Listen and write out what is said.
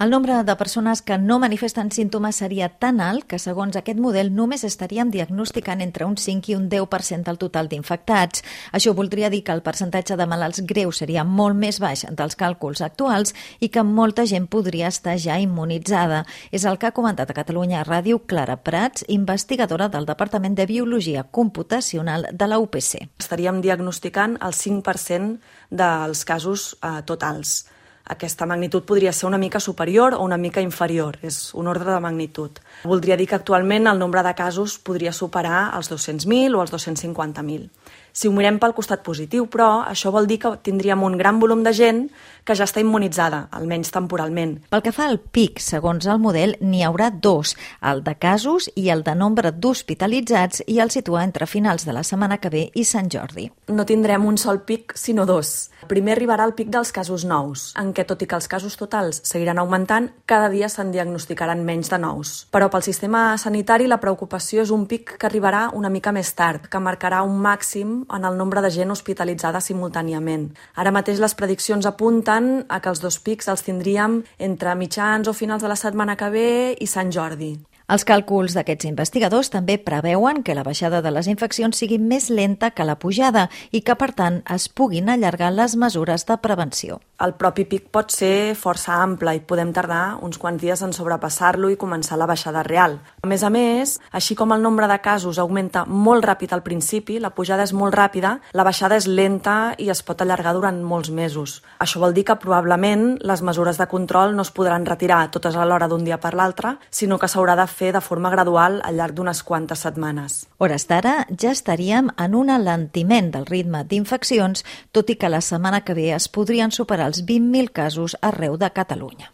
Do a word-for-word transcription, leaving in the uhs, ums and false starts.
El nombre de persones que no manifesten símptomes seria tan alt que, segons aquest model, només estaríem diagnosticant entre un cinc i un deu per cent del total d'infectats. Això voldria dir que el percentatge de malalts greus seria molt més baix dels càlculs actuals i que molta gent podria estar ja immunitzada. És el que ha comentat a Catalunya Ràdio Clara Prats, investigadora del Departament de Biologia Computacional de la U P C. Estaríem diagnosticant el cinc per cent dels casos eh, totals. Aquesta magnitud podria ser una mica superior o una mica inferior, és un ordre de magnitud. Voldria dir que actualment el nombre de casos podria superar els dos-cents mil o els dos-cents cinquanta mil. Si ho mirem pel costat positiu, però, això vol dir que tindríem un gran volum de gent que ja està immunitzada, almenys temporalment. Pel que fa al pic, segons el model, n'hi haurà dos, el de casos i el de nombre d'hospitalitzats, i el situa entre finals de la setmana que ve i Sant Jordi. No tindrem un sol pic, sinó dos. Primer arribarà el pic dels casos nous, en què, tot i que els casos totals seguiran augmentant, cada dia se'n diagnosticaran menys de nous. Però pel sistema sanitari la preocupació és un pic que arribarà una mica més tard, que marcarà un màxim en el nombre de gent hospitalitzada simultàniament. Ara mateix les prediccions apunten a que els dos pics els tindríem entre mitjans o finals de la setmana que ve i Sant Jordi. Els càlculs d'aquests investigadors també preveuen que la baixada de les infeccions sigui més lenta que la pujada i que, per tant, es puguin allargar les mesures de prevenció. El propi pic pot ser força ample i podem tardar uns quants dies en sobrepassar-lo i començar la baixada real. A més a més, així com el nombre de casos augmenta molt ràpid al principi, la pujada és molt ràpida, la baixada és lenta i es pot allargar durant molts mesos. Això vol dir que probablement les mesures de control no es podran retirar totes alhora d'un dia per l'altre, sinó que s'haurà de fer de forma gradual al llarg d'unes quantes setmanes. A hores d'ara ja estaríem en un alentiment del ritme d'infeccions, tot i que la setmana que ve es podrien superar els vint mil casos arreu de Catalunya.